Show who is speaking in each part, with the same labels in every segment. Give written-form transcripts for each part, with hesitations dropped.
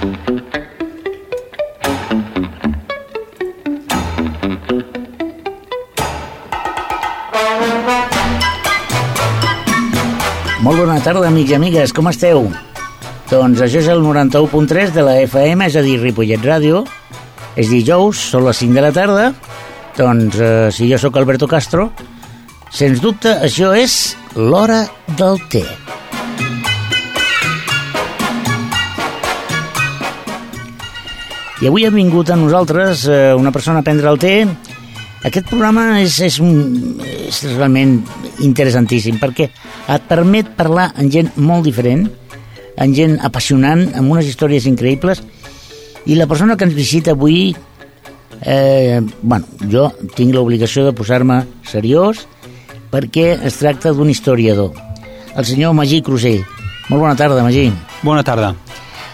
Speaker 1: Molt bona tarda, amics i amigues, com esteu? Doncs això és el 91.3 de la FM, és a dir, Ripollet Ràdio. És dijous, són les 5 de la tarda. Doncs si jo sóc Alberto Castro, sens dubte això és l'hora del té. I avui ha vingut a nosaltres una persona a prendre el té. Aquest programa és realment interessantíssim perquè et permet parlar amb gent molt diferent, amb gent apassionant, amb unes històries increïbles, i la persona que ens visita avui, jo tinc l'obligació de posar-me seriós perquè es tracta d'un historiador, el senyor Magí Crusell. Molt bona tarda, Magí.
Speaker 2: Bona tarda.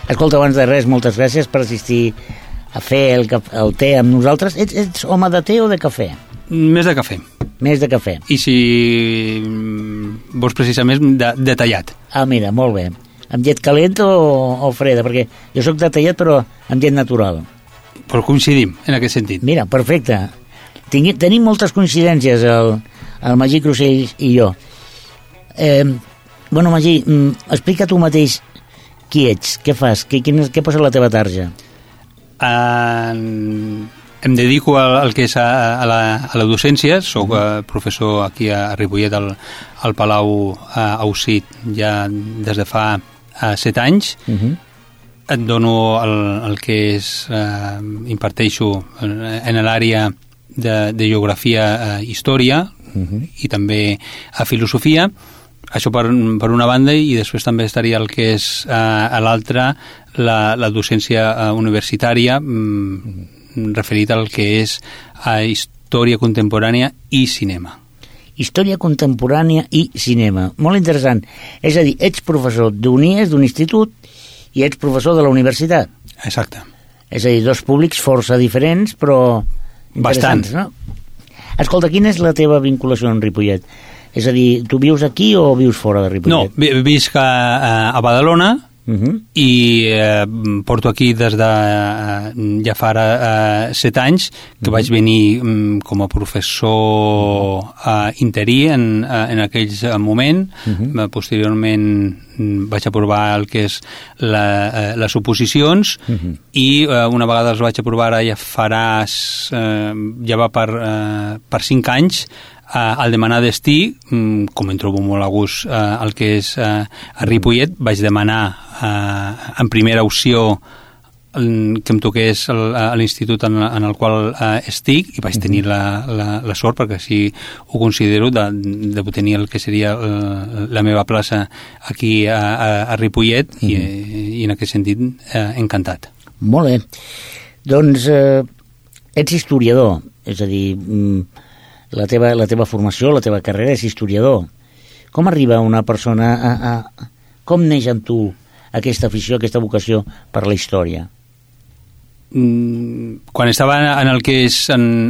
Speaker 1: Escolta, abans de res, moltes gràcies per assistir a fer el té amb nosaltres. Ets home de té o de cafè?
Speaker 2: Més de cafè.
Speaker 1: Més de cafè.
Speaker 2: I si vols precisament de tallat.
Speaker 1: Ah, mira, molt bé. Amb llet calent o freda? Perquè jo sóc de tallat però amb llet natural.
Speaker 2: Però coincidim en aquest sentit.
Speaker 1: Mira, perfecte. Tenim moltes coincidències el Magí Crusell i jo. Magí, explica tu mateix qui ets, què fas, què posa a la teva tarja?
Speaker 2: Em dedico al que és a la docència. Soc professor aquí a Ripollet al Palau Ausit ja des de fa 7 anys. Et dono el que és imparteixo en l'àrea de geografia, història i també a filosofia. Això per una banda, i després també estaria el que és a l'altra la docència universitària referit al que és a història contemporània i cinema.
Speaker 1: Història contemporània i cinema. Molt interessant. És a dir, ets professor d'UNIES, d'un institut, i ets professor de la universitat.
Speaker 2: Exacte.
Speaker 1: És a dir, dos públics força diferents, però interessants, no? Escolta, quina és la teva vinculació amb Ripollet? És a dir, tu vius aquí o vius fora de Ripollet?
Speaker 2: No, visc a Badalona i porto aquí des de ja fa 7 anys que vaig venir com a professor interí en aquells moments. Posteriorment vaig aprovar el que és les oposicions i una vegada les vaig aprovar ara ja va per 5 anys. Al demanar destí, com em trobo molt a gust el que és a Ripollet, vaig demanar en primera opció que em toqués a l'institut en el qual estic, i vaig tenir la sort, perquè així ho considero, de tenir el que seria la meva plaça aquí a Ripollet, i en aquest sentit encantat.
Speaker 1: Molt bé. Doncs ets historiador, és a dir, la teva formació, la teva carrera és historiador. Com arriba una persona com neix en tu aquesta afició, aquesta vocació per la història?
Speaker 2: Quan estava en el que és en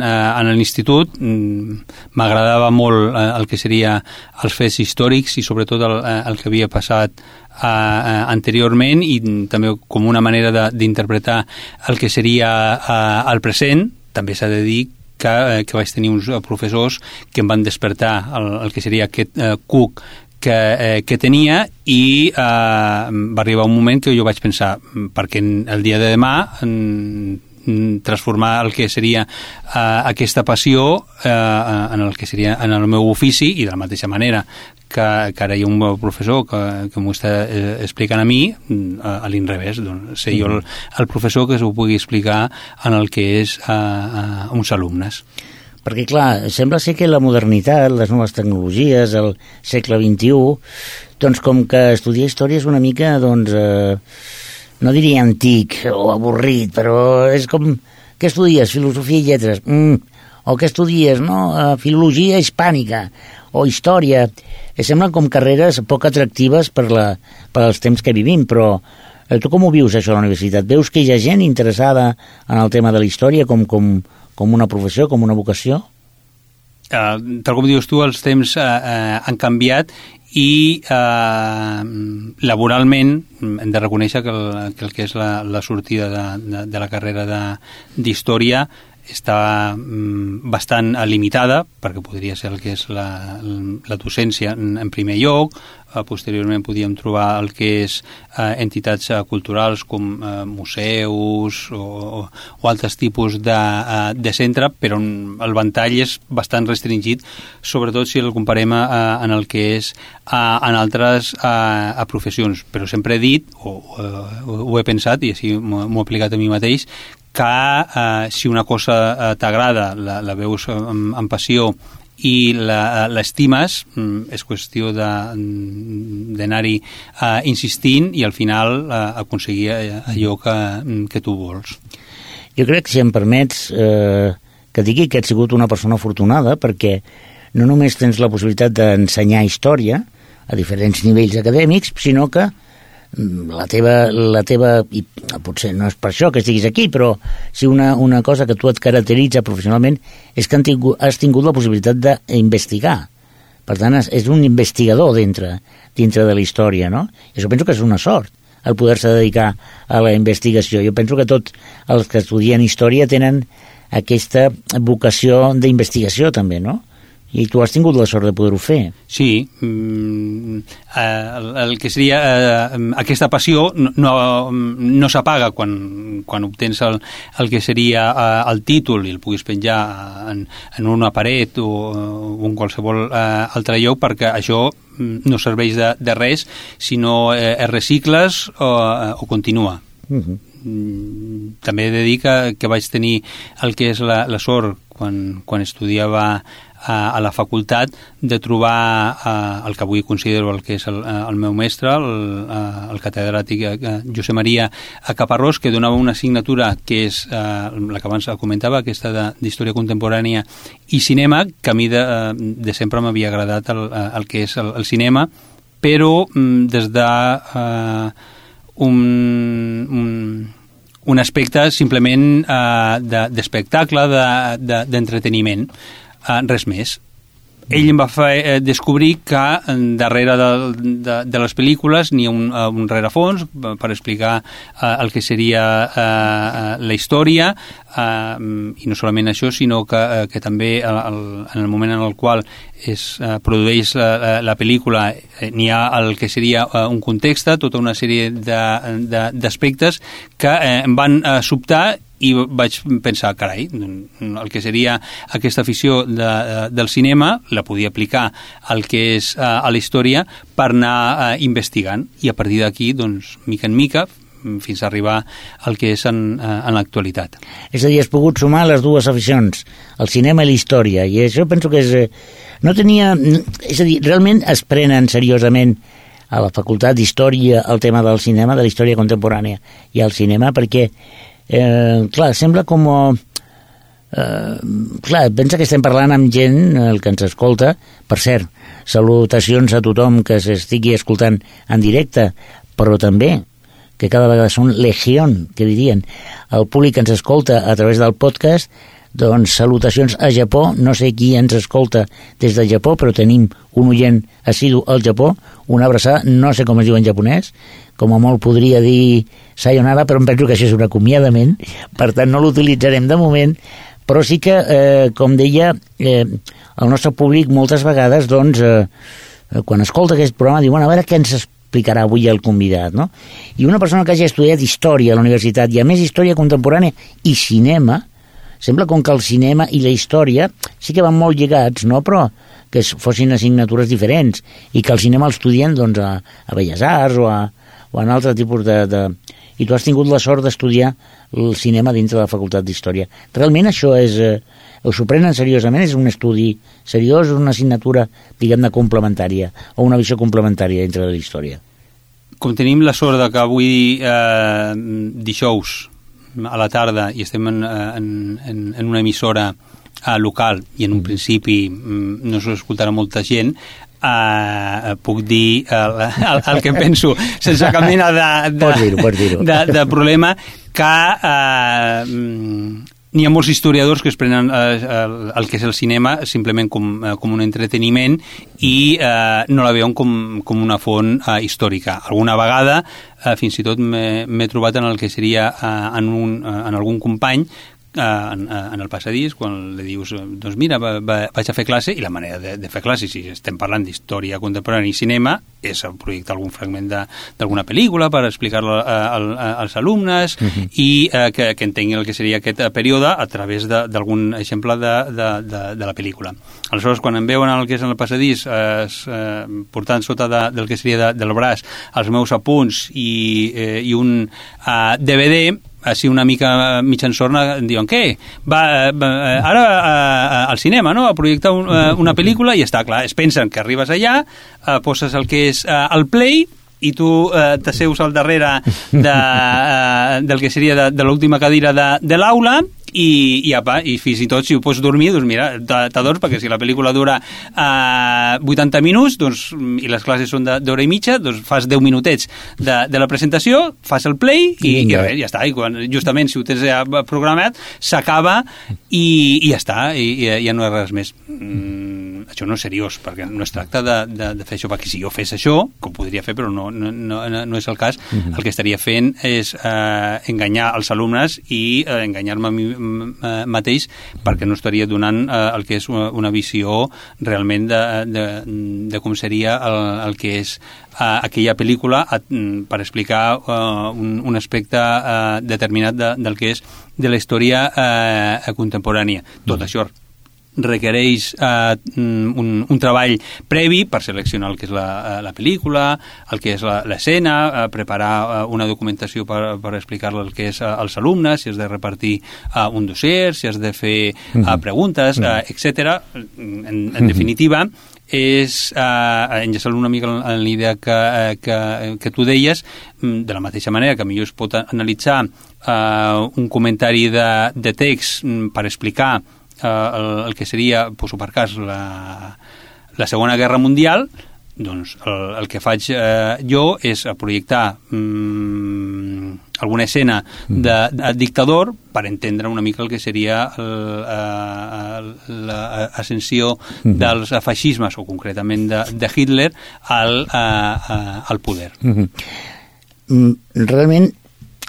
Speaker 2: l'institut, m'agradava molt el que seria els fets històrics i sobretot el que havia passat anteriorment, i també com una manera d'interpretar el que seria el present. També s'ha de dir que vaig tenir uns professors que em van despertar el que seria aquest cuc que tenia, i va arribar un moment que jo vaig pensar, perquè el dia de demà transformar el que seria aquesta passió en el que seria en el meu ofici, i de la mateixa manera que ara hi ha un professor que m'ho està explicant a mi, a l'inrevés, doncs ser jo el professor que s'ho pugui explicar en el que és a uns alumnes.
Speaker 1: Perquè, clar, sembla ser que la modernitat, les noves tecnologies, el segle XXI, doncs com que estudiar història és una mica, doncs, no diria antic o avorrit, però és com, què estudies? Filosofia i lletres? O què estudies, no? Filologia hispànica o història. Semblen com carreres poc atractives per als temps que vivim, però tu com ho vius, això, a la universitat? Veus que hi ha gent interessada en el tema de la història com una professió, com una vocació?
Speaker 2: tal com dius tu, els temps han canviat i laboralment hem de reconèixer que el que és la sortida de la carrera d'història està bastant limitada, perquè podria ser el que és la docència en primer lloc. Posteriorment podíem trobar el que és entitats culturals com museus o altres tipus de centre, però el ventall és bastant restringit, sobretot si el comparem en el que és en altres professions. Però sempre he dit, ho he pensat, i així m'ho he aplicat a mi mateix, que si una cosa t'agrada, la veus amb passió i l'estimes, és qüestió d'anar-hi insistint i al final aconseguir allò que tu vols.
Speaker 1: Jo crec que, si em permets, que digui que ets sigut una persona afortunada, perquè no només tens la possibilitat d'ensenyar història a diferents nivells acadèmics, sinó que la teva, i potser no és per això que estiguis aquí, però si una cosa que tu et caracteritza professionalment és que has tingut la possibilitat d'investigar. Per tant, és un investigador dintre de la història, no? I això penso que és una sort, el poder-se dedicar a la investigació. Jo penso que tots els que estudien història tenen aquesta vocació d'investigació també, no? I tu has tingut la sort de poder-ho fer.
Speaker 2: Sí, el que seria aquesta passió no s'apaga quan obtens el que seria el títol i el puguis penjar en una paret o en qualsevol altre lloc, perquè això no serveix de res si no es recicles o continua. També he de dir que vaig tenir el que és la sort quan estudiava a la facultat de trobar el que avui considero el que és el meu mestre, el catedràtic Josep Maria Caparrós, que donava una assignatura que és la que abans comentava, aquesta d'història contemporània i cinema, que a mi de sempre m'havia agradat el que és el cinema, però des de un aspecte simplement d'espectacle, d'entreteniment, res més. Ell em va fer descobrir que darrere de les pel·lícules n'hi ha un rerefons per explicar el que seria la història, i no solament això, sinó que també en el moment en el qual es produeix la pel·lícula n'hi ha el que seria un context, tota una sèrie d'aspectes que em van sobtar i vaig pensar, carai, el que seria aquesta afició del cinema la podia aplicar al que és a la història per anar investigant, i a partir d'aquí, doncs, mica en mica, fins a arribar al que és en l'actualitat.
Speaker 1: És a dir, has pogut sumar les dues aficions, el cinema i la història, i això penso que no tenia... És a dir, realment es prenen seriosament a la facultat d'història el tema del cinema, de la història contemporània i el cinema, perquè clar, sembla com... clar, pensa que estem parlant amb gent, el que ens escolta, per cert, salutacions a tothom que s'estigui escoltant en directe, però també que cada vegada són legión, que dirien, el públic que ens escolta a través del podcast, doncs salutacions a Japó, no sé qui ens escolta des del Japó, però tenim un oient assidu al Japó, una abraçada, no sé com es diu en japonès, com a molt podria dir sayonara, però em penso que això és un acomiadament, per tant no l'utilitzarem de moment, però sí que, com deia, el nostre públic moltes vegades, doncs, quan escolta aquest programa, diu, bueno, a veure què ens explicarà avui el convidat, no? I una persona que hagi estudiat història a la universitat, i a més història contemporània i cinema, sembla com que el cinema i la història sí que van molt lligats, no? Però que fossin assignatures diferents i que el cinema l'estudien doncs, a Belles Arts o en altre tipus de... I tu has tingut la sort d'estudiar el cinema dintre de la facultat d'història. Realment això és... S'ho prenen seriosament? És un estudi seriós, una assignatura, diguem-ne, complementària o una visió complementària dintre de la història?
Speaker 2: Com tenim la sort que avui dijous a la tarda i estem en una emissora local i en un principi no s'ho escoltarà molta gent, puc dir el que penso sense cap mena
Speaker 1: pots dir-ho.
Speaker 2: de problema, que N'hi ha molts historiadors que es prenen el que és el cinema simplement com un entreteniment i no la veuen com una font històrica. Alguna vegada fins i tot m'he trobat en el que seria en algun company en el passadís, quan li dius doncs mira, vaig a fer classe, i la manera de fer classe, si estem parlant d'història contemporània i cinema, és projectar algun fragment d'alguna pel·lícula per explicar-lo als alumnes i que entenguin el que seria aquest període a través d'algun exemple de la pel·lícula. Aleshores, quan em veuen el que és en el passadís portant sota del que seria del braç els meus apunts i un DVD, així una mica mig ensorna, em diuen, què? Va ara al cinema, no?, a projectar una pel·lícula, i està clar, es pensen que arribes allà, poses el que és el play, i tu t'asseus al darrere del que seria de l'última cadira de l'aula, i fins i tot si ho pots dormir, doncs mira, t'adors, perquè si la pel·lícula dura 80 minuts i les classes són d'hora i mitja, doncs fas 10 minutets de la presentació, fas el play i res, ja està, i justament si ho tens ja programat s'acaba i ja està, i ja no és res més. Això no és seriós, perquè no es tracta de fer això, perquè si jo fes això, que ho podria fer però no és el cas, el que estaria fent és enganyar els alumnes i enganyar-me a mi mateix, perquè no estaria donant el que és una visió realment de com seria el que és aquella pel·lícula per explicar un aspecte determinat del que és de la història contemporània. Tot això requereix un treball previ per seleccionar el que és la pel·lícula, el que és l'escena, preparar una documentació per explicar-la el que és als alumnes, si has de repartir un dossier, si has de fer preguntes, etc. En definitiva, és enllaçant una mica en l'idea que tu deies, de la mateixa manera que millor es pot analitzar un comentari de text per explicar el que seria, poso per cas, la Segona Guerra Mundial, doncs el que faig jo és projectar alguna escena de dictador per entendre una mica el que seria l'ascensió dels feixismes, o concretament de Hitler, al poder.
Speaker 1: Realment,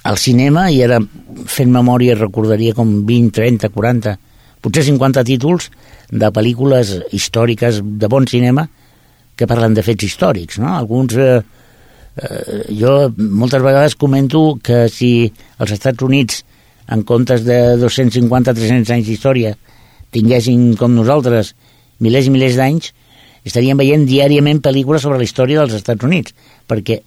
Speaker 1: el cinema, i ara fent memòria recordaria com 20, 30, 40, potser 50 títols de pel·lícules històriques de bon cinema que parlen de fets històrics, no? Alguns... jo moltes vegades comento que si els Estats Units, en comptes de 250-300 anys d'història, tinguessin, com nosaltres, milers i milers d'anys, estaríem veient diàriament pel·lícules sobre la història dels Estats Units, perquè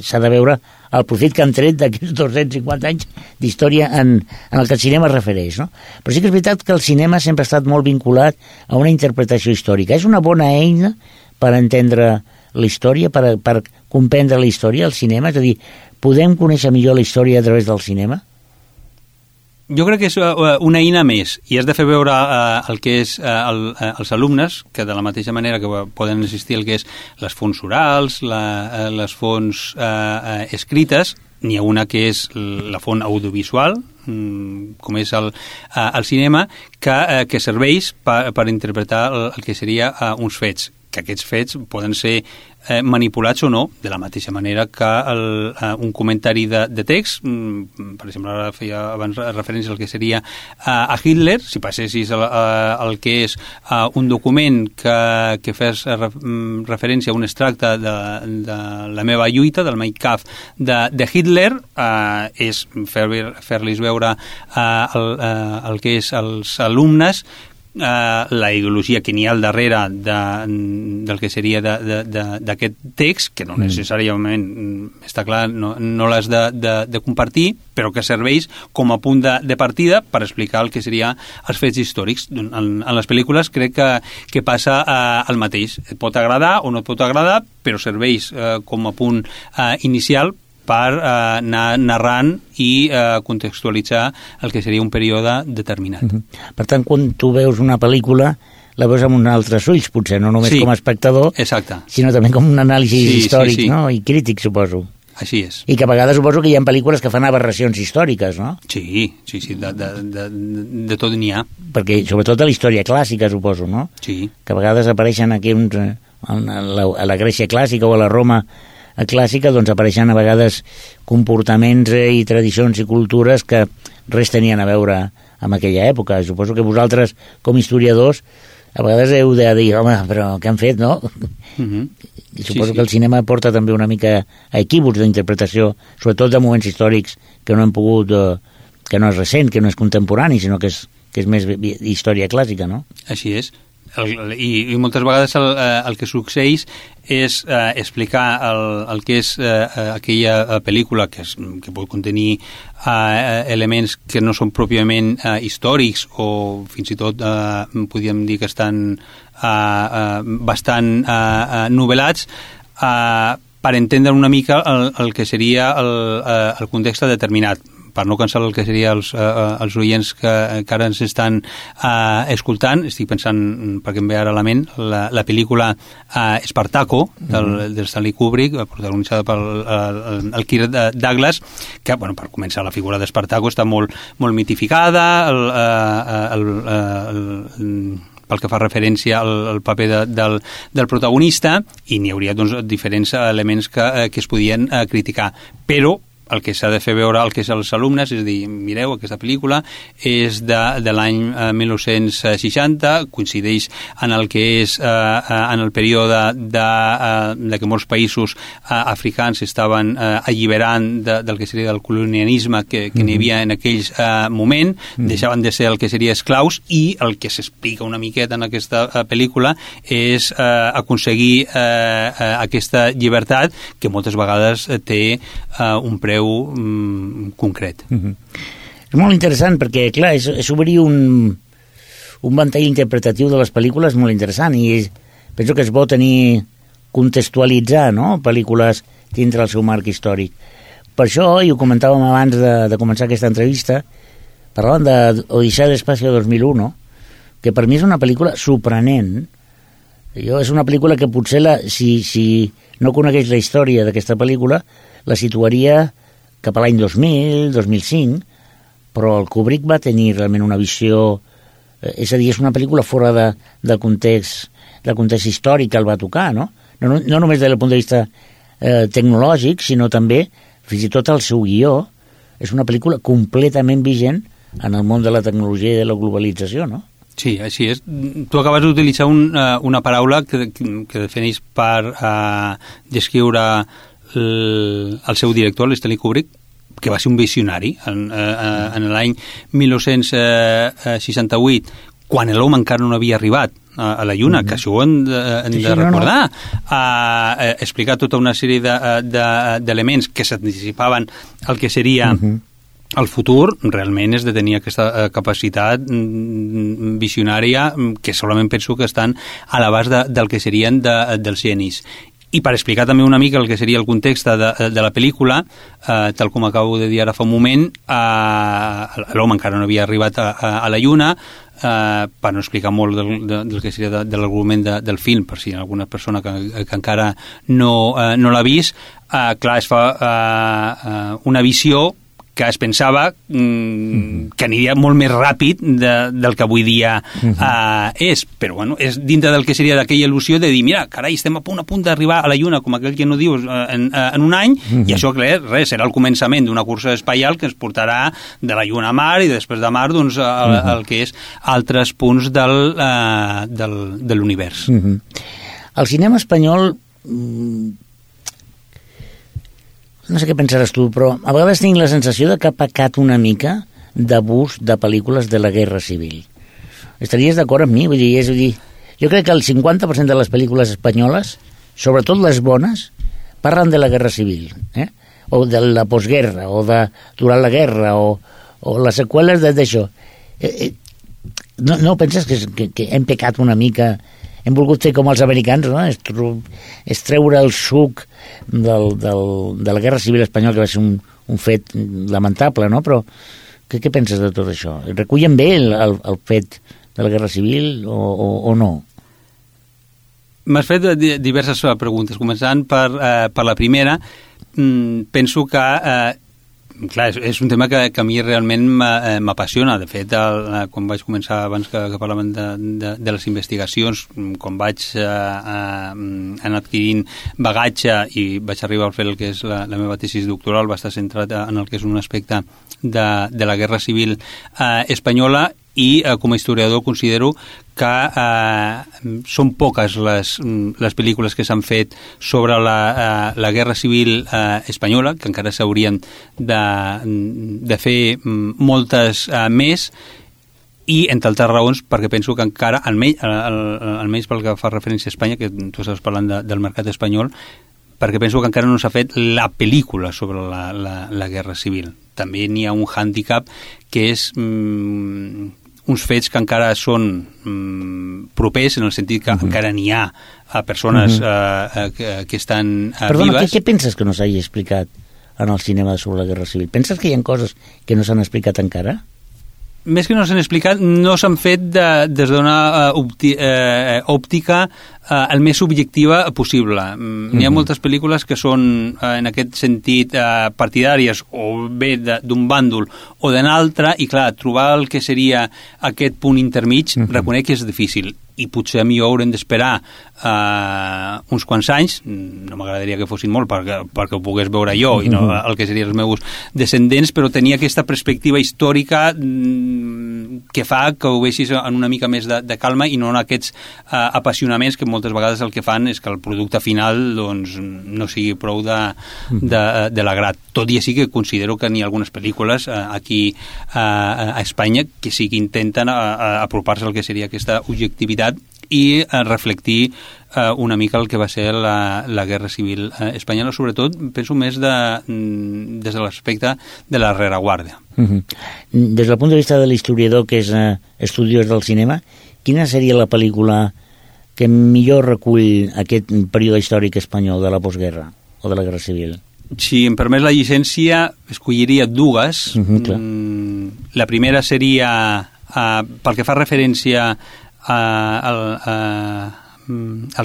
Speaker 1: s'ha de veure el profit que han tret d'aquests 250 anys d'història en el que el cinema es refereix, no? Però sí que és veritat que el cinema sempre ha estat molt vinculat a una interpretació històrica. És una bona eina per entendre la història, per comprendre la història, el cinema? És a dir, podem conèixer millor la història a través del cinema?
Speaker 2: Jo crec que és una eina més, i has de fer veure el que és als alumnes, que de la mateixa manera que poden existir el que és les fonts orals, les fonts escrites, n'hi ha una que és la font audiovisual, com és el cinema, que serveix per interpretar el que seria uns fets, que aquests fets poden ser manipulats o no, de la mateixa manera que un comentari de text, per exemple, ara feia abans referència al que seria a Hitler, si passessis el que és un document que fes referència a un extracte de la meva lluita, del Mein Kampf de Hitler, és fer-los veure el que és als alumnes la ideologia que n'hi ha al darrere del que seria d'aquest text, que no necessàriament, està clar, no l'has de compartir, però que serveix com a punt de partida per explicar el que seria els fets històrics. En les pel·lícules crec que passa el mateix. Et pot agradar o no et pot agradar, però serveix com a punt inicial per anar narrant i contextualitzar el que seria un període determinat.
Speaker 1: Per tant, quan tu veus una pel·lícula, la veus amb uns altres ulls, potser, no només com a espectador,
Speaker 2: exacte,
Speaker 1: sinó també com un anàlisi històric, no? I crític, suposo.
Speaker 2: Així és.
Speaker 1: I que a vegades suposo que hi ha pel·lícules que fan aberracions històriques, no?
Speaker 2: Sí, de tot n'hi ha.
Speaker 1: Perquè, sobretot a la història clàssica, suposo, no?
Speaker 2: Sí.
Speaker 1: Que a vegades apareixen aquí a la Grècia clàssica o a la Roma clàssica, doncs apareixen a vegades comportaments i tradicions i cultures que res tenien a veure amb aquella època. Suposo que vosaltres, com historiadors, a vegades heu de dir, home, però què han fet, no? I suposo que el cinema porta també una mica a equívocs d'interpretació, sobretot de moments històrics que no hem pogut, que no és recent, que no és contemporani, sinó que és més història clàssica, no?
Speaker 2: Així és. I moltes vegades el que succeeix és explicar el que és aquella pel·lícula que pot contenir elements que no són pròpiament històrics o fins i tot podríem dir que estan bastant novel·lats per entendre una mica el que seria el context determinat, per no cansar el que seria els oients que ara ens estan escoltant. Estic pensant, perquè em ve ara a la ment, la pel·lícula Espartaco, del Stanley Kubrick, protagonitzada pel Kirk Douglas, que, bueno, per començar, la figura d'Espartaco està molt mitificada, pel que fa referència al paper del protagonista, i n'hi hauria doncs, diferents elements que es podien criticar. Però el que s'ha de fer veure al que és als alumnes és dir, mireu, aquesta pel·lícula és de l'any 1960, coincideix en el que és en el període de que molts països africans estaven alliberant del que seria del colonialisme que n'hi havia en aquells moment, deixaven de ser el que seria esclaus, i el que s'explica una miqueta en aquesta pel·lícula és aconseguir aquesta llibertat que moltes vegades té un preu concret.
Speaker 1: És molt interessant perquè, clar, és obrir un ventall interpretatiu de les pel·lícules molt interessant, i penso que és bo tenir, contextualitzar, no?, pel·lícules dintre el seu marc històric. Per això, i ho comentàvem abans de començar aquesta entrevista, parlàvem d'Odissea de l'Espacio 2001, que per mi és una pel·lícula sorprenent. És una pel·lícula que potser, si no conegués la història d'aquesta pel·lícula, la situaria cap a l'any 2000, 2005, però el Kubrick va tenir realment una visió, és a dir, és una pel·lícula fora del context històric que el va tocar, no? No només des del punt de vista tecnològic, sinó també, fins i tot el seu guió, és una pel·lícula completament vigent en el món de la tecnologia i de la globalització, no?
Speaker 2: Sí, així és. Tu acabes d'utilitzar una paraula que defineix per descriure el seu director, l'Stanley Kubrick, que va ser un visionari en l'any 1968, quan l'home encara no havia arribat a la Lluna, que això ho hem de recordar. Explicar tota una sèrie d'elements que s'anticipaven al que seria el futur. Realment és de tenir aquesta capacitat visionària que solament penso que estan a l'abast del que serien dels genis. I per explicar també una mica el que seria el context de la pel·lícula, tal com acabo de dir ara fa un moment, l'home encara no havia arribat a la Lluna, per no explicar molt del que seria de l'argument del film, per si hi ha alguna persona que encara no l'ha vist. Clar, es fa una visió que es pensava que aniria molt més ràpid del que avui dia és, però bueno, és dintre del que seria d'aquella il·lusió de dir, mira, carai, estem a punt d'arribar a la Lluna, com aquell que no dius, en un any, i això, clar, serà el començament d'una cursa espacial que ens portarà de la Lluna a Mar, i després de Mar, doncs, el que és altres punts de l'univers.
Speaker 1: El cinema espanyol, no sé què pensaràs tu, però a vegades tinc la sensació de que ha pecat una mica d'abús de pel·lícules de la Guerra Civil. Estaries d'acord amb mi? Vull dir, jo crec que el 50% de les pel·lícules espanyoles, sobretot les bones, parlen de la Guerra Civil, o de la postguerra, o de durant la guerra, o les seqüeles d'això. No penses que hem pecat una mica? Hem volgut fer com els americans, no? És treure el suc de la Guerra Civil espanyola, que va ser un fet lamentable, no? Però què penses de tot això? Recullen bé el fet de la Guerra Civil o no?
Speaker 2: M'has fet diverses preguntes, començant per la primera. penso que clar, és un tema que a mi realment m'apassiona. De fet, quan vaig començar, abans que parlàvem de les investigacions, quan vaig anar adquirint bagatge i vaig arribar a fer el que és la meva tesi doctoral, va estar centrat en el que és un aspecte de la Guerra Civil espanyola, i com a historiador considero que són poques les pel·lícules que s'han fet sobre la Guerra Civil espanyola, que encara s'haurien de fer moltes més, i entre altres raons perquè penso que encara, almenys pel que fa referència a Espanya, que tu estàs parlant del mercat espanyol, perquè penso que encara no s'ha fet la pel·lícula sobre la Guerra Civil. També n'hi ha un hàndicap que és uns fets que encara són propers, en el sentit que encara n'hi ha persones que estan
Speaker 1: Perdona,
Speaker 2: vives.
Speaker 1: Què penses que no s'hagi explicat en el cinema sobre la Guerra Civil? Penses que hi ha coses que no s'han explicat encara?
Speaker 2: Més que no s'han explicat, no s'han fet des d'una òptica el més subjectiva possible. N'hi ha moltes pel·lícules que són, en aquest sentit, partidàries o bé d'un bàndol o d'un altre, i clar, trobar el que seria aquest punt intermig, reconec que és difícil, i potser a mi haurem d'esperar uns quants anys, no m'agradaria que fossin molt perquè ho pogués veure jo i no el que serien els meus descendents, però tenir aquesta perspectiva històrica que fa que ho veixis en una mica més de calma i no en aquests apassionaments que moltes vegades el que fan és que el producte final doncs, no sigui prou de l'agrat. Tot i així que considero que n'hi ha algunes pel·lícules aquí a Espanya que sí que intenten apropar-se al que seria aquesta objectivitat i reflectir una mica el que va ser la Guerra Civil espanyola, sobretot penso més des de l'aspecte de la rereguarda.
Speaker 1: Des del punt de vista de l'historiador que és estudiós del cinema, quina seria la pel·lícula que millor recull aquest període històric espanyol de la postguerra o de la Guerra Civil?
Speaker 2: Si em permet la llicència, escolliria dues. La primera seria, pel que fa referència el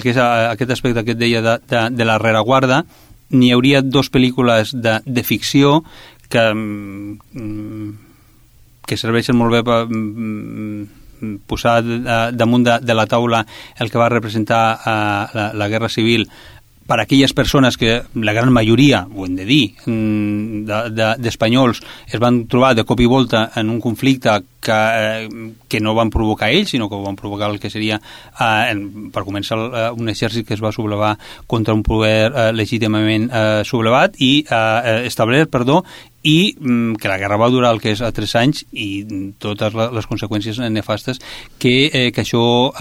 Speaker 2: que és aquest aspecte que et deia de la rereguarda, n'hi hauria dues pel·lícules de ficció que serveixen molt bé per posar damunt de la taula el que va representar la Guerra Civil per a aquelles persones que, la gran majoria, ho hem de dir, d'espanyols es van trobar de cop i volta en un conflicte que no van provocar ells, sinó que ho van provocar el que seria, per començar, un exèrcit que es va sublevar contra un poder legítimament sublevat i establert, i que la guerra va durar el que és 3 anys i totes les conseqüències nefastes que això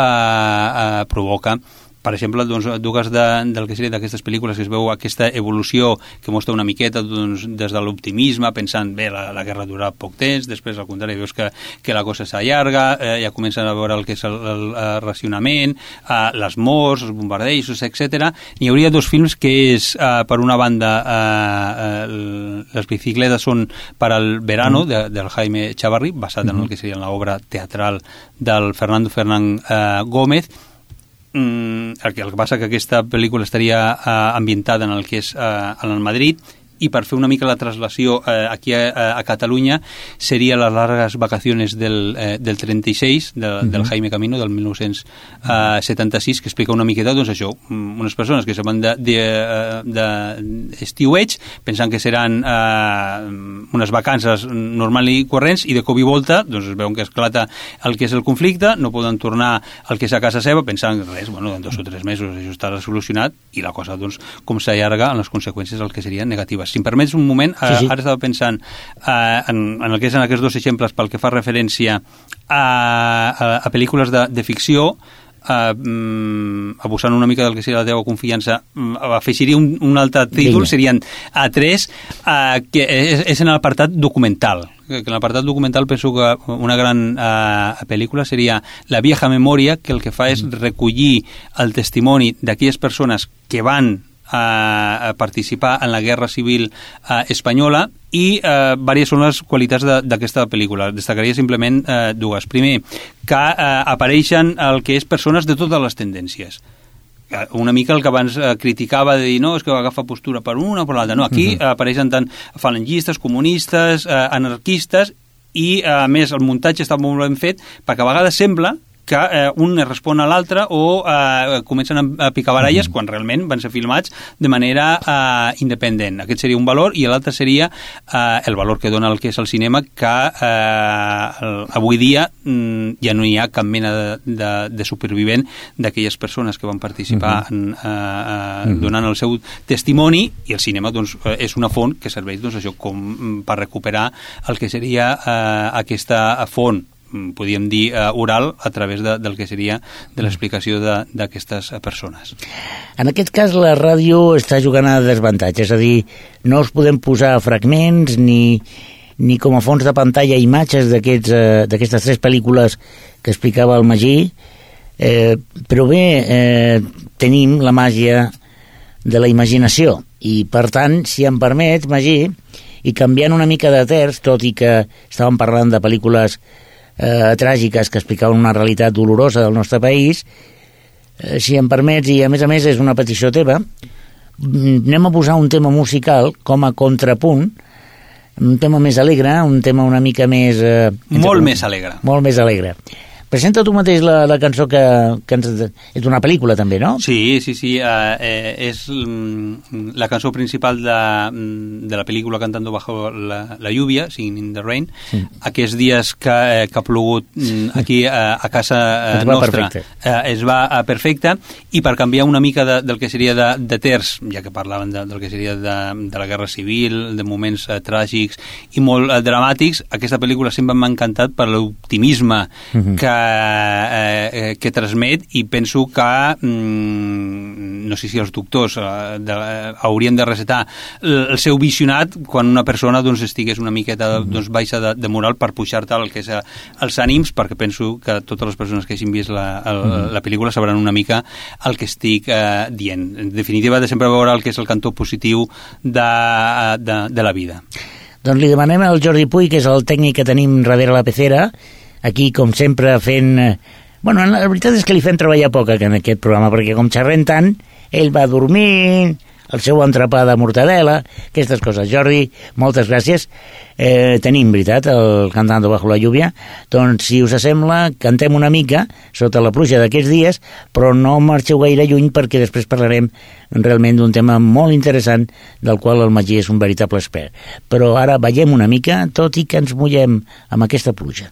Speaker 2: provoca. Per exemple, dues del que seria d'aquestes pel·lícules que es veu aquesta evolució que mostra una miqueta des de l'optimisme, pensant, bé, la guerra durarà poc temps, després al contrari veus que la cosa s'allarga, ja comencen a veure el que és el racionament, les morts, els bombardejos, etc. N'hi hauria dos films que és, per una banda, Les bicicletes són per al verano, del Jaime Chavarri, basat en el que seria l'obra teatral del Fernando Fernán Gómez. El que passa que aquesta pel·lícula estaria ambientada en el que és en el Madrid, i per fer una mica la traslació aquí a Catalunya seria les largues vacaciones del 36 del Jaime Camino del 1976, que explica una miqueta doncs això, unes persones que se van d'estiueig pensant que seran unes vacances normals i corrents, i de cop i volta doncs es veuen que esclata el que és el conflicte, no poden tornar al que és a casa seva pensant res, en 2 o 3 mesos això estarà solucionat, i la cosa doncs com s'allarga en les conseqüències del que serien negatives. Si em permets un moment, ara estava pensant en el que és en aquests dos exemples pel que fa referència a pel·lícules de ficció, abusant una mica del que seria la teva confiança, afegiria un altre títol, serien 3, que és en l'apartat documental. Que en l'apartat documental penso que una gran pel·lícula seria La vieja memoria, que el que fa és recollir el testimoni d'aquelles persones que van a participar en la Guerra Civil espanyola, i diverses són les qualitats d'aquesta pel·lícula. Destacaria simplement dues. Primer, que apareixen el que és persones de totes les tendències. una mica el que abans criticava de dir, no, és que agafa postura per una o per l'altra. No, aquí apareixen tant falangistes, comunistes, anarquistes, i a més el muntatge està molt ben fet perquè a vegades sembla que un respon a l'altre o comencen a picar baralles quan realment van ser filmats de manera independent. Aquest seria un valor, i l'altre seria el valor que dona el que és el cinema, que avui dia ja no hi ha cap mena de supervivent d'aquelles persones que van participar donant el seu testimoni, i el cinema doncs, és una font que serveix doncs, això com per recuperar el que seria aquesta font, podríem dir, oral, a través del que seria de l'explicació d'aquestes persones.
Speaker 1: En aquest cas, la ràdio està jugant a desavantatge, és a dir, no us podem posar fragments ni com a fons de pantalla imatges d'aquestes 3 pel·lícules que explicava el Magí, però bé, tenim la màgia de la imaginació, i per tant, si em permets, Magí, i canviant una mica de terç, tot i que estàvem parlant de pel·lícules tràgiques que explicaven una realitat dolorosa del nostre país, si em permets, i a més és una petició teva, anem a posar un tema musical com a contrapunt, un tema més alegre, un tema una mica més...
Speaker 2: Molt més alegre.
Speaker 1: Molt més alegre. Presenta tu mateix la cançó que és una pel·lícula també, no?
Speaker 2: Sí, és la cançó principal de la pel·lícula Cantando bajo la lluvia, Singing in the Rain. Aquests dies que ha plogut aquí a casa nostra es va perfecte, i per canviar una mica del que seria de terç, ja que parlaven del que seria de la guerra civil, de moments tràgics i molt dramàtics, aquesta pel·lícula sempre m'ha encantat per l'optimisme que transmet, i penso que no sé si els doctors haurien de recetar el seu visionat quan una persona doncs, estigués una miqueta baixa de moral, per pujar-te el que és els ànims, perquè penso que totes les persones que hagin vist la pel·lícula sabran una mica el que estic dient. En definitiva, de sempre veure el que és el cantó positiu de la vida.
Speaker 1: Doncs li demanem al Jordi Puy, que és el tècnic que tenim darrere la pecera, aquí, com sempre, fent... Bueno, la veritat és que li fem treballar poc en aquest programa, perquè com xerrem tant, ell va dormint, el seu entrepà de mortadela, aquestes coses. Jordi, moltes gràcies. Tenim, veritat, el Cantando bajo la lluvia. Doncs, si us sembla, cantem una mica sota la pluja d'aquests dies, però no marxeu gaire lluny, perquè després parlarem realment d'un tema molt interessant, del qual el Magí és un veritable expert. Però ara ballem una mica, tot i que ens mullem amb aquesta pluja.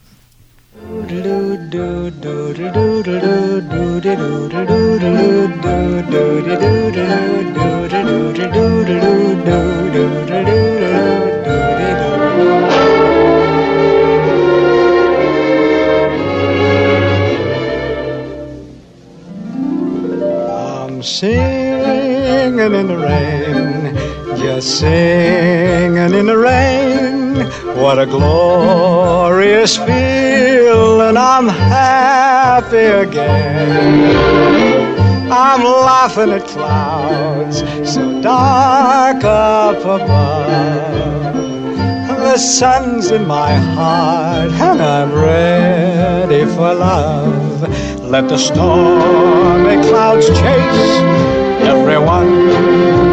Speaker 3: I'm singing in the rain, just singing in the rain. What a glorious feeling, I'm happy again. I'm laughing at clouds so dark up above. The sun's in my heart and I'm ready for love. Let the stormy clouds chase everyone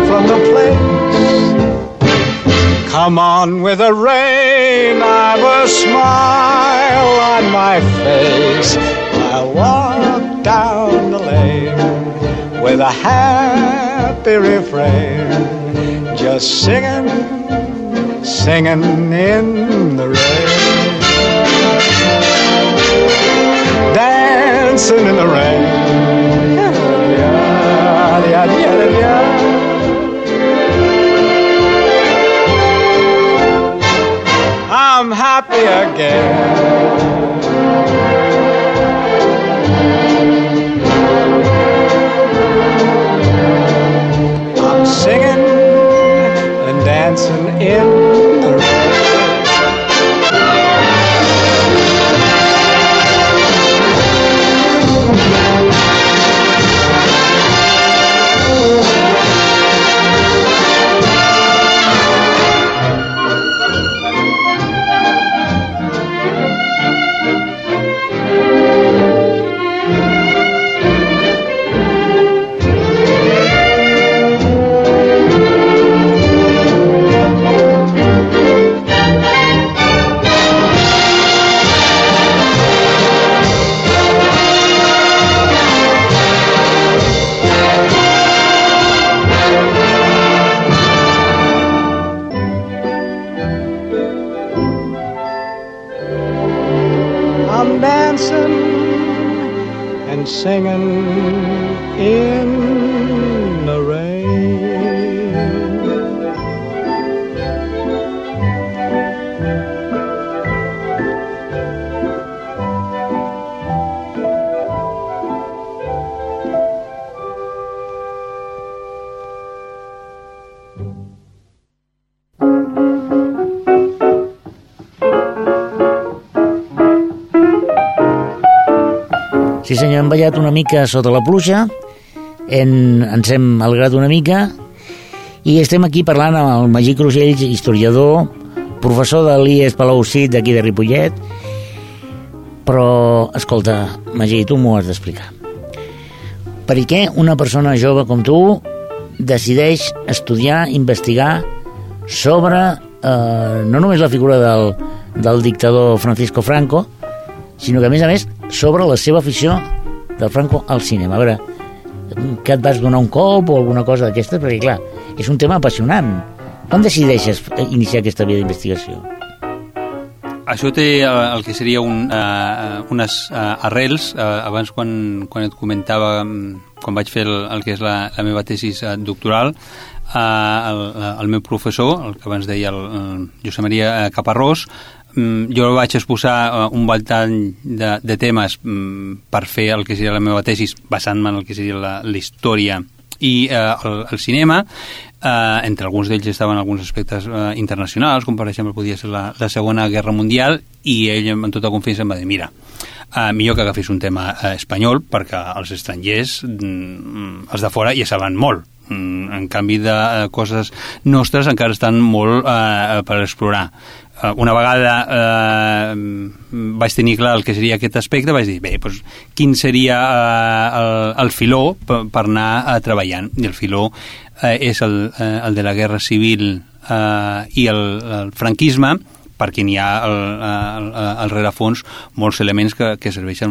Speaker 3: from the place. Come on with the rain, I've a smile on my face. I'll walk down the lane with a happy refrain, just singing, singing in the rain, dancing in the rain. I'm happy again. I'm singing and dancing in the rain. dancing and singing in the rain.
Speaker 1: Sí senyor, hem ballat una mica sota la pluja, ens hem alegrat una mica i estem aquí parlant amb el Magí Crusells, historiador, professor de l'IES Palau Cid d'aquí de Ripollet. Però, escolta, Magí, tu m'ho has d'explicar. Per què una persona jove com tu decideix estudiar, investigar sobre no només la figura del dictador Francisco Franco, sinó que, a més, sobre la seva afició del Franco al cinema? A veure, que et vas donar un cop o alguna cosa d'aquestes? Perquè, clar, és un tema apassionant. Com decideixes iniciar aquesta via d'investigació?
Speaker 2: Això té el que seria unes arrels. Abans, quan et comentava, quan vaig fer el que és la meva tesis doctoral, el meu professor, el que abans deia el Josep Maria Caparrós, jo vaig exposar un ventall de temes per fer el que seria la meva tesis, basant-me en el que seria la història i el cinema. Entre alguns d'ells estaven alguns aspectes internacionals, com per exemple podia ser la Segona Guerra Mundial, i ell amb tota confiança em va dir, mira, millor que agafis un tema espanyol, perquè els estrangers, els de fora, ja saben molt. En canvi de coses nostres encara estan molt per explorar. Una vegada vaig tenir clar el que seria aquest aspecte, vaig dir, bé, doncs, quin seria el filó per anar treballant? I el filó és el de la guerra civil i el franquisme, perquè n'hi ha al rerefons molts elements que serveixen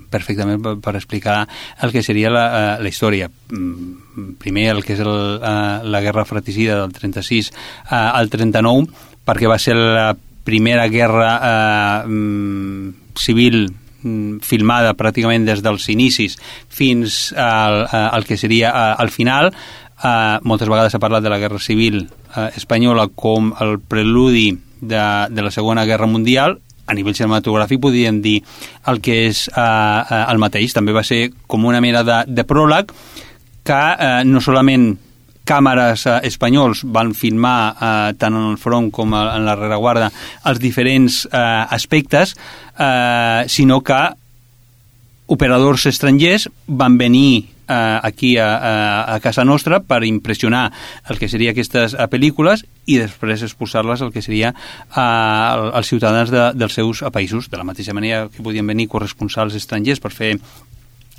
Speaker 2: perfectament per explicar el que seria la història. Primer, el que és la guerra fratricida del 36 al 39, perquè va ser la primera guerra civil filmada pràcticament des dels inicis fins al que seria al final. Moltes vegades s'ha parlat de la guerra civil espanyola com el preludi de la Segona Guerra Mundial. A nivell cinematogràfic podríem dir el que és el mateix. També va ser com una mena de pròleg que no solament càmeres espanyols van filmar tant en el front com en la rereguarda els diferents aspectes, sinó que operadors estrangers van venir aquí a casa nostra per impressionar el que seria aquestes pel·lícules i després exposar-les al que seria als ciutadans dels seus països, de la mateixa manera que podien venir corresponsals estrangers per fer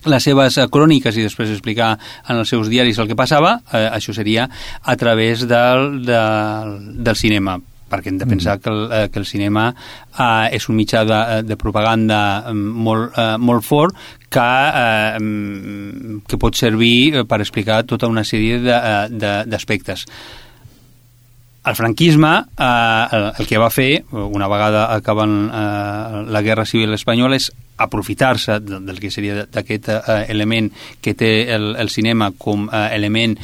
Speaker 2: les seves cròniques i després explicar en els seus diaris el que passava. Això seria a través del cinema, perquè hem de pensar que el cinema és un mitjà de propaganda molt fort que pot servir per explicar tota una sèrie d'aspectes. El franquisme el que va fer, una vegada acabant la Guerra Civil Espanyola, és aprofitar-se del que seria d'aquest element que té el cinema com element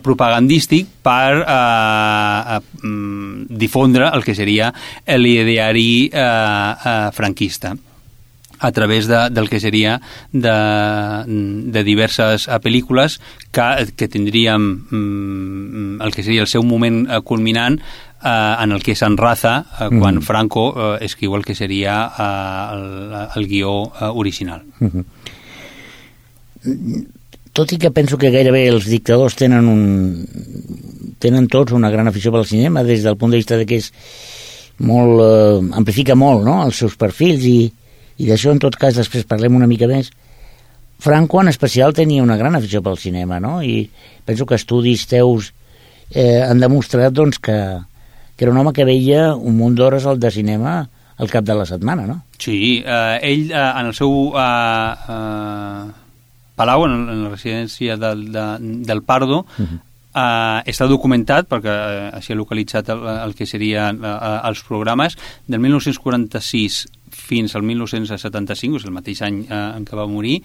Speaker 2: propagandístic per difondre el que seria l'ideari franquista a través del que seria de diverses pel·lícules que tindríem el que seria el seu moment culminant en el que s'enraza quan Franco escriu el que seria el guió original.
Speaker 1: Tot i que penso que gairebé els dictadors tenen tots una gran afició pel cinema, des del punt de vista de que és molt, amplifica molt, no?, els seus perfils, i d'això en tot cas després parlem una mica més. Franco en especial tenia una gran afició pel cinema, no?, i penso que estudis teus han demostrat doncs que era un home que veia un munt d'hores de cinema al cap de la setmana, no?
Speaker 2: Sí, ell en el seu palau, en la residència del Pardo, està documentat, perquè així ha localitzat el que serien els programes, del 1946 fins al 1975, és el mateix any en què va morir,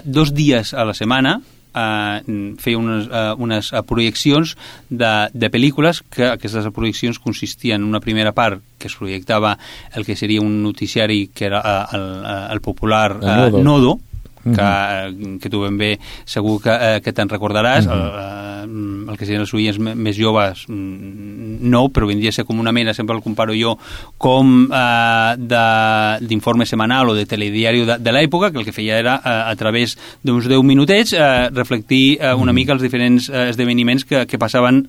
Speaker 2: 2 dies a la setmana feia unes projeccions de pel·lícules, que aquestes projeccions consistien en una primera part que es projectava el que seria un noticiari que era el popular Nodo, que tu ben bé segur que te'n recordaràs. El que serien els oients més joves no, però vindria a ser com una mena, sempre el comparo jo, com d'informe setmanal o de telediari de l'època, que el que feia era, a través d'uns 10 minutets, reflectir una mica els diferents esdeveniments que passaven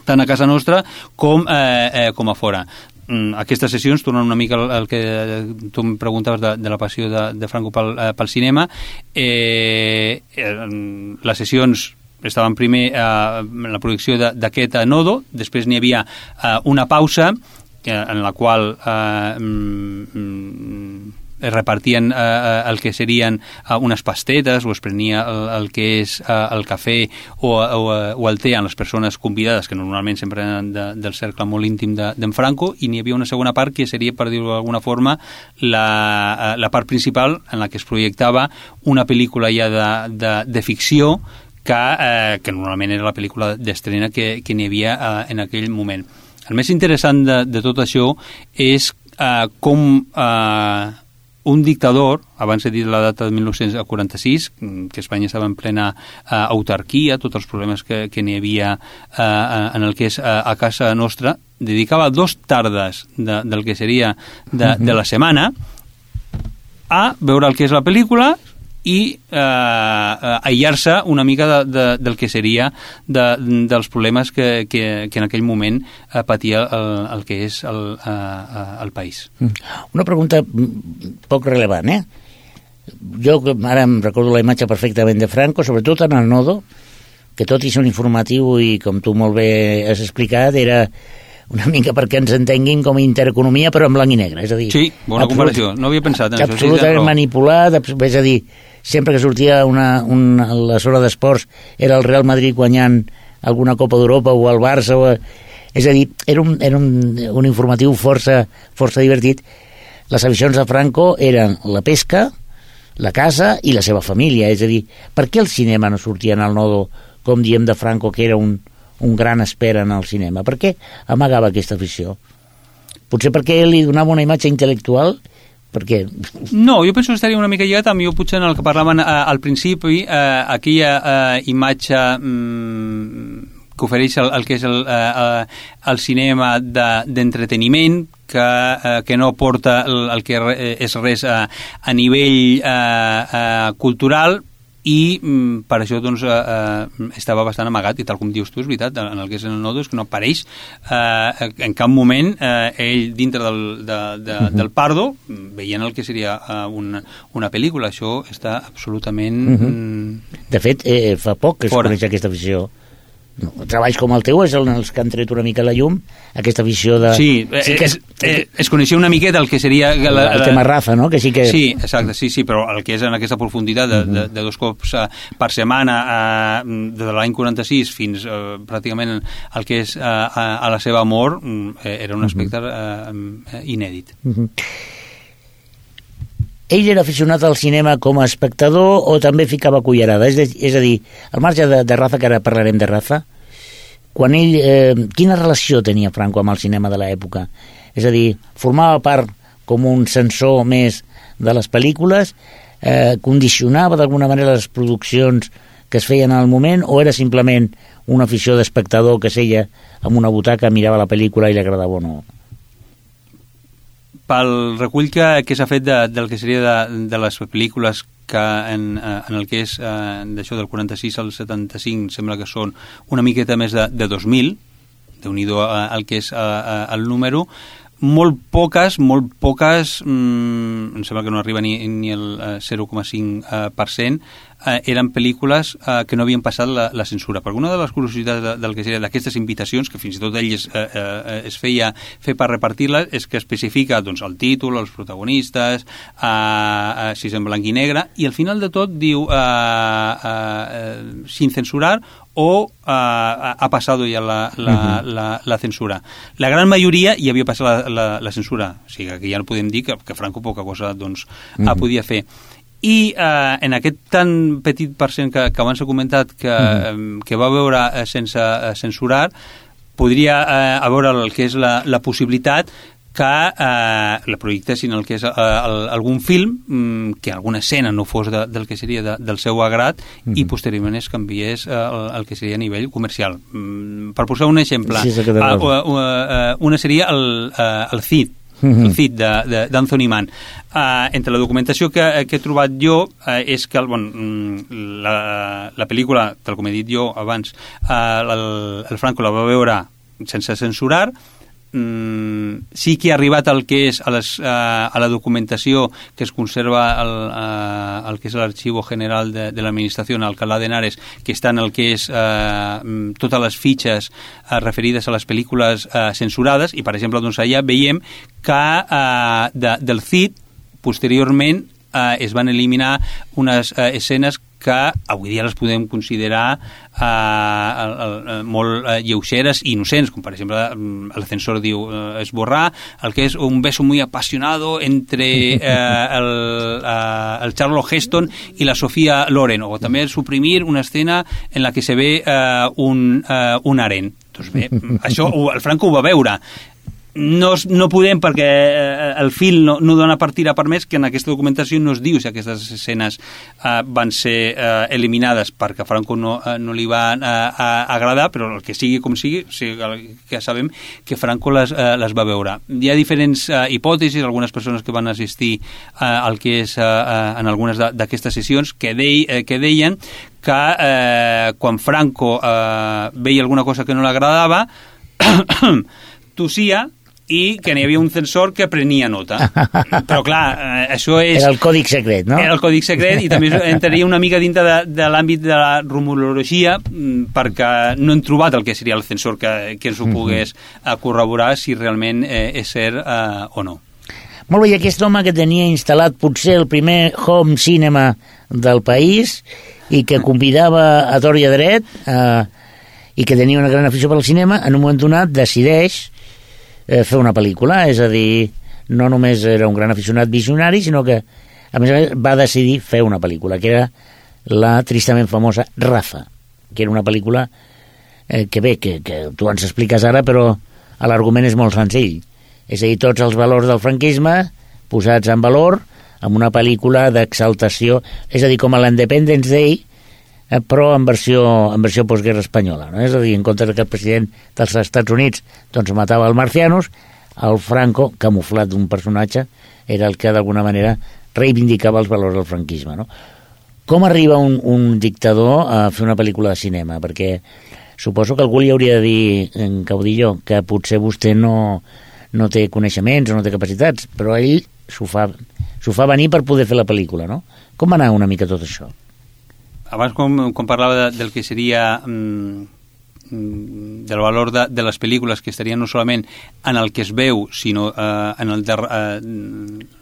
Speaker 2: tant a casa nostra com a fora. Aquestes sessions, tornant una mica al que tu em preguntaves de la passió de Franco pel cinema, les sessions estaven primer en la projecció d'aquest Nodo, després n'hi havia una pausa en la qual es repartien el que serien unes pastetes, o es prenia el que és el cafè o el te a les persones convidades, que normalment sempre eren del cercle molt íntim d'en Franco, i n'hi havia una segona part que seria, per dir-ho d'alguna forma, la part principal en la que es projectava una pel·lícula ja de ficció que normalment era la pel·lícula d'estrena que n'hi havia en aquell moment. El més interessant de tot això és com un dictador, abans he dit la data de 1946, que Espanya estava en plena autarquia, tots els problemes que n'hi havia en el que és a casa nostra, dedicava 2 tardes del que seria de la setmana a veure el que és la pel·lícula i aïllar-se una mica del que seria dels problemes que en aquell moment patia el que és el país.
Speaker 1: Una pregunta poc relevant, Jo ara em recordo la imatge perfectament de Franco, sobretot en el Nodo, que tot i ser un informatiu i, com tu molt bé has explicat, era una mica perquè ens entenguin com a intereconomia, però en blanc i negre, és a dir...
Speaker 2: Sí, bona comparació, no havia pensat en això.
Speaker 1: Absolutament manipulat, és a dir, sempre que sortia la zona d'esports era el Real Madrid guanyant alguna Copa d'Europa o el Barça, és a dir, era un informatiu força divertit. Les aficions de Franco eren la pesca, la casa i la seva família, és a dir, per què el cinema no sortia en el Nodo, com diem de Franco, que era un gran espera en el cinema? Per què amagava aquesta afició? Potser perquè li donava una imatge intel·lectual? Perquè...
Speaker 2: No, jo penso que estaria una mica lligat amb jo potser en el que parlaven al principi, aquella imatge que ofereix el que és el cinema d'entreteniment, que no aporta el que és res a nivell cultural, i per això doncs estava bastant amagat, i tal com dius tu és veritat, en el que és el Nodo, és que no apareix en cap moment ell dintre del Pardo veient el que seria una pel·lícula. Això està absolutament
Speaker 1: de fet fa poc que es coneix aquesta afició. Treballs com el teu és els que han tret una mica la llum, aquesta afició de...
Speaker 2: Sí, es coneixia una miqueta el que seria...
Speaker 1: El tema Rafa, no? Que sí, que...
Speaker 2: Sí, exacte, sí, però el que és en aquesta profunditat de 2 cops per setmana de l'any 46 fins pràcticament el que és a la seva mort, era un aspecte inèdit.
Speaker 1: Ell era aficionat al cinema com a espectador o també ficava cullerada? És a dir, al marge de Rafa, que ara parlarem de Rafa, quan ell... quina relació tenia Franco amb el cinema de l'època? És a dir, formava part com un censor més de les pel·lícules, condicionava d'alguna manera les produccions que es feien al moment, o era simplement una afició d'espectador que seia amb una butaca, mirava la pel·lícula i li agradava o no?
Speaker 2: Pel recull que s'ha fet del que seria de les pel·lícules que en el que és d'això del 46 al 75 sembla que són una miqueta més de 2.000, déu-n'hi-do el que és el número, molt poques, em sembla que no arriba ni el 0,5%, eren pel·lícules que no havien passat la censura. Perquè una de les curiositats del que seria d'aquestes invitacions, que fins i tot ell es feia fer per repartir-les, és que especifica doncs, el títol, els protagonistes, si és en blanc i negre, i al final de tot diu sin censurar o ha pasado ya la censura. La gran majoria ja havia passat la censura, o sigui que ja no podem dir que Franco poca cosa doncs, podia fer. I en aquest tan petit percent que abans he comentat que va veure sense censurar, podria haver el que és la possibilitat que la projectessin el que és algun film, que alguna escena no fos del que seria del seu agrat i posteriorment es canviés el que seria a nivell comercial. Per posar un exemple, una seria el Cid, el Cid d'Anthony Mann. Entre la documentació que he trobat jo és que la pel·lícula, tal com he dit jo abans, el Franco la va veure sense censurar. Sí que ha arribat el que és a la documentació que es conserva el que és l'Arxivo General de l'Administració en Alcalá de Henares, que està en el que és totes les fitxes referides a les pel·lícules censurades, i per exemple doncs allà veiem que del Cid posteriorment es van eliminar unes escenes que avui dia les podem considerar molt lleugeres i innocents, com per exemple el censor diu esborrar el que és un beso muy apasionado entre el Charlton Heston i la Sofía Loren, o també suprimir una escena en la que se ve un harén. Doncs bé, això el Franco ho va veure. No podem, perquè el film no dona per tirar per més, que en aquesta documentació no es diu si aquestes escenes van ser eliminades perquè a Franco no li van agradar, però el que sigui com sigui, que sabem que Franco les va veure. Hi ha diferents hipòtesis, algunes persones que van assistir al que és en algunes d'aquestes sessions que deien que quan Franco veia alguna cosa que no li agradava tossia i que n'hi havia un censor que prenia nota. Però clar, això és...
Speaker 1: Era el còdic secret, no?
Speaker 2: Era el còdic secret, i també entraria una mica dintre de l'àmbit de la rumorologia, perquè no hem trobat el que seria el censor que ens ho pogués corroborar si realment és cert o no.
Speaker 1: Molt bé, i aquest home que tenia instal·lat potser el primer home cinema del país i que convidava a tort i a dret i que tenia una gran afició pel cinema, en un moment donat decideix fer una pel·lícula, és a dir, no només era un gran aficionat visionari, sinó que a més va decidir fer una pel·lícula, que era la tristament famosa Rafa, que era una pel·lícula que tu ens expliques ara, però l'argument és molt senzill. És a dir, tots els valors del franquisme posats en valor amb una pel·lícula d'exaltació, és a dir, com a l'Independence Day, però en versió postguerra espanyola, no? És a dir, en comptes que el president dels Estats Units doncs matava el Marcianos, el Franco, camuflat d'un personatge, era el que d'alguna manera reivindicava els valors del franquisme, no? Com arriba un dictador a fer una pel·lícula de cinema? Perquè suposo que algú li hauria de dir, en Caudillo, que potser vostè no té coneixements o no té capacitats, però ell s'ho fa venir per poder fer la pel·lícula, no? Com va anar una mica tot això?
Speaker 2: Abans, quan parlava del que seria del valor de les pel·lícules, que estarien no solament en el que es veu, sinó en el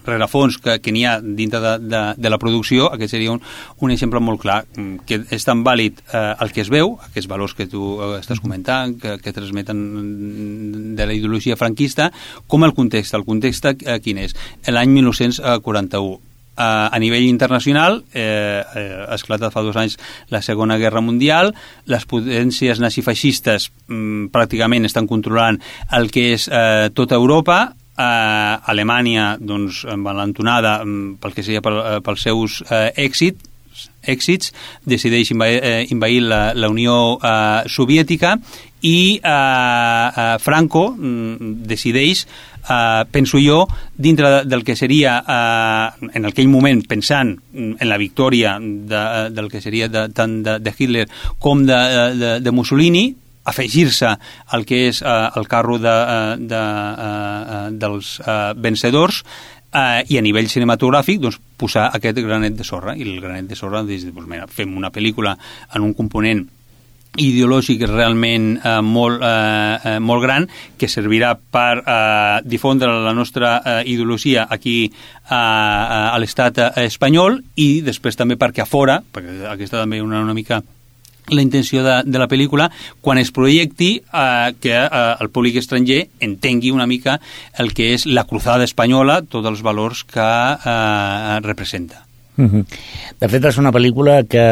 Speaker 2: rerefons que n'hi ha dintre de la producció, aquest seria un exemple molt clar, que és tan vàlid el que es veu, aquests valors que tu estàs comentant, que transmeten de la ideologia franquista, com el context. El context quin és? L'any 1941. A nivell internacional, ha esclatat fa 2 anys la Segona Guerra Mundial, les potències nazifeixistes pràcticament estan controlant el que és tota Europa, Alemanya, doncs, envalentonada pel que seria pels seus èxits, decideix invair la Unió Soviètica i Franco decideix, penso jo, dintre del que seria en aquell moment, pensant en la victòria del que seria tant de Hitler com de Mussolini, afegir-se al que és el carro dels vencedors, i a nivell cinematogràfic doncs, posar aquest granet de sorra, i el granet de sorra doncs, mira, fem una pel·lícula en un component ideològic realment molt gran, que servirà per difondre la nostra ideologia aquí a l'estat espanyol, i després també perquè a fora, perquè aquesta també una mica la intenció de la pel·lícula, quan es projecti que el públic estranger entengui una mica el que és la cruzada espanyola, tots els valors que representa.
Speaker 1: De fet, va ser una pel·lícula que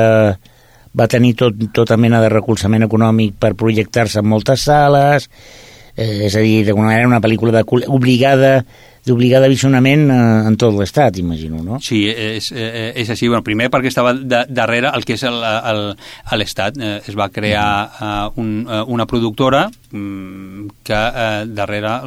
Speaker 1: va tenir tota mena de recolzament econòmic per projectar-se en moltes sales, és a dir, d'alguna manera una pel·lícula d'obligada visionament en tot l'estat, imagino, no?
Speaker 2: Sí, és així. Bueno, primer perquè estava darrere el que és l'estat. Es va crear una productora que darrere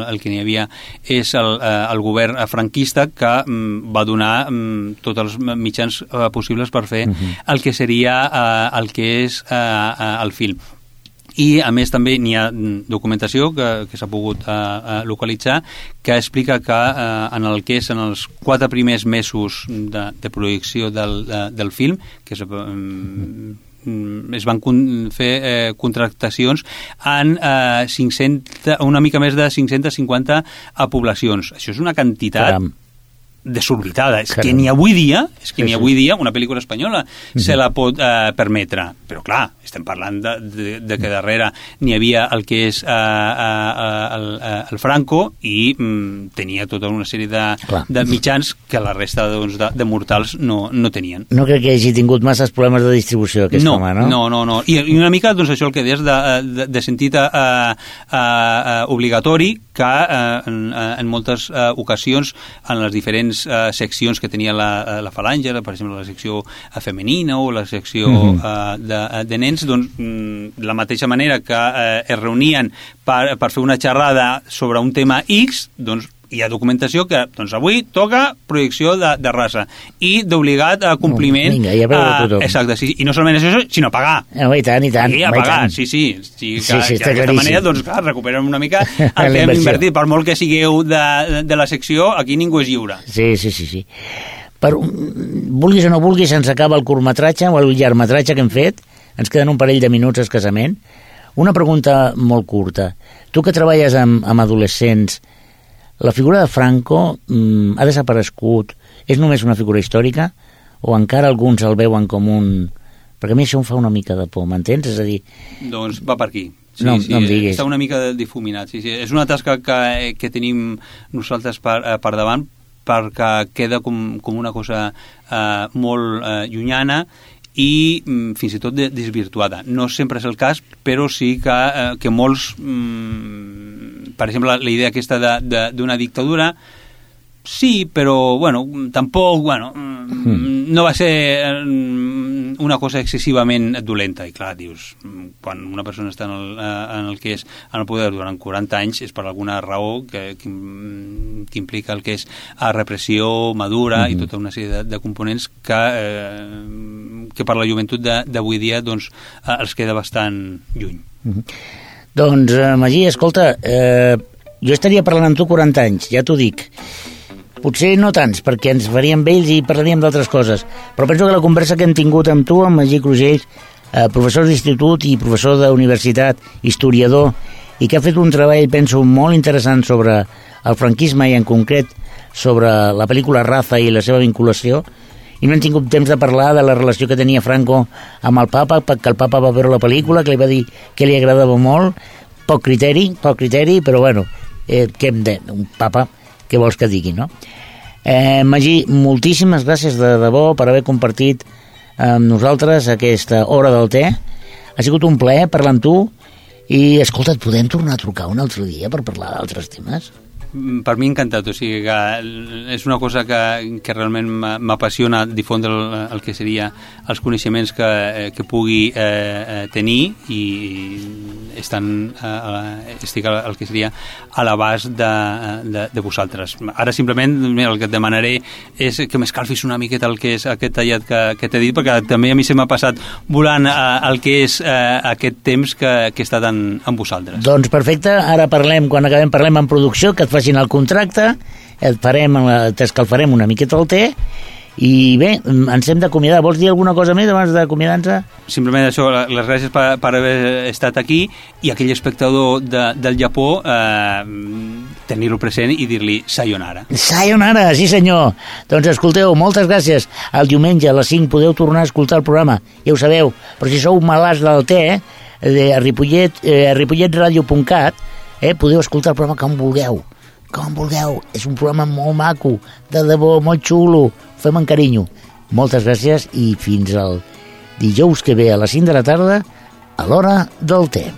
Speaker 2: el que n'hi havia és el govern franquista, que va donar tots els mitjans possibles per fer el que seria el que és el film. I, a més, també n'hi ha documentació que s'ha pogut localitzar que explica que en els 4 primers mesos de projecció del film, que es van fer contractacions en una mica més de 550 poblacions. Això és una quantitat desorbitada. És que ni avui dia una pel·lícula espanyola se la pot permetre. Però clar, estem parlant de que darrere n'hi havia el que és el Franco, i tenia tota una sèrie de mitjans que la resta de mortals no tenien.
Speaker 1: No crec que hagi tingut masses problemes de distribució aquest home, no?
Speaker 2: No. I una mica doncs, això el que deies de sentit obligatori, que en moltes ocasions en les diferents seccions que tenia la Falange, per exemple la secció femenina o la secció de nens, doncs la mateixa manera que es reunien per fer una xerrada sobre un tema X, doncs hi ha documentació que doncs avui toca projecció de raça i d'obligat compliment.
Speaker 1: Vinga, ja veu tothom.
Speaker 2: Exacte, sí, i no solament això, sinó pagar.
Speaker 1: I tant.
Speaker 2: Sí, a pagar, sí. D'aquesta manera, doncs clar, recuperem una mica el que hem invertit. Per molt que sigueu de la secció, aquí ningú és lliure.
Speaker 1: Sí. Vulguis o no vulguis, ens acaba el curtmetratge o el llargmetratge que hem fet. Ens queden un parell de minuts escassament. Una pregunta molt curta. Tu que treballes amb adolescents, la figura de Franco ha desaparegut? És només una figura històrica? O encara alguns el veuen com un... Perquè a mi això em fa una mica de por, m'entens? És a dir...
Speaker 2: Doncs va per aquí. Sí,
Speaker 1: no em diguis.
Speaker 2: Està una mica difuminat. Sí. És una tasca que tenim nosaltres per davant, perquè queda com una cosa molt llunyana i fins i tot desvirtuada. No sempre és el cas, però sí que molts... per exemple, la idea aquesta d'una dictadura, sí, però, tampoc, no va ser una cosa excessivament dolenta. I clar, dius, quan una persona està en el que és en el poder durant 40 anys és per alguna raó que implica el que és repressió madura i tota una sèrie de components que per la joventut d'avui dia doncs, els queda bastant lluny.
Speaker 1: Doncs, Magí, escolta, jo estaria parlant amb tu 40 anys, ja t'ho dic. Potser no tants, perquè ens faríem vells i parlaríem d'altres coses, però penso que la conversa que hem tingut amb tu, amb Magí Crugells, professor d'institut i professor d'universitat, historiador, i que ha fet un treball, penso, molt interessant sobre el franquisme i en concret sobre la pel·lícula Raza i la seva vinculació, i no hem tingut temps de parlar de la relació que tenia Franco amb el papa, perquè el papa va veure la pel·lícula, que li va dir que li agradava molt, poc criteri, però què hem de... Un papa, què vols que digui, no? Magí, moltíssimes gràcies de debò per haver compartit amb nosaltres aquesta hora del te. Ha sigut un plaer parlar amb tu i, escolta, et podem tornar a trucar un altre dia per parlar d'altres temes?
Speaker 2: Per mi encantat, o sigui que és una cosa que realment m'apassiona difondre el que seria els coneixements que pugui tenir i estic al que seria a l'abast de vosaltres. Ara simplement el que et demanaré és que m'escalfis una miqueta el que és aquest tallat que t'he dit, perquè també a mi se m'ha passat volant el que és aquest temps que he estat amb vosaltres.
Speaker 1: Doncs perfecte, ara parlem, quan acabem parlem en producció, que et faci facin el contracte, t'escalfarem una miqueta el te, i bé, ens hem d'acomiadar. Vols dir alguna cosa més abans d'acomiadar-nos?
Speaker 2: Simplement això, les gràcies per haver estat aquí, i aquell espectador del Japó tenir-lo present i dir-li sayonara.
Speaker 1: Sayonara, sí senyor. Doncs escolteu, moltes gràcies. El diumenge a les 5 podeu tornar a escoltar el programa, ja ho sabeu, però si sou malalts del te, a ripolletradio.cat, podeu escoltar el programa com vulgueu. És un programa molt maco, de debò, molt xulo, fem amb carinyo. Moltes gràcies i fins al dijous que ve a les 5 de la tarda a l'hora del te.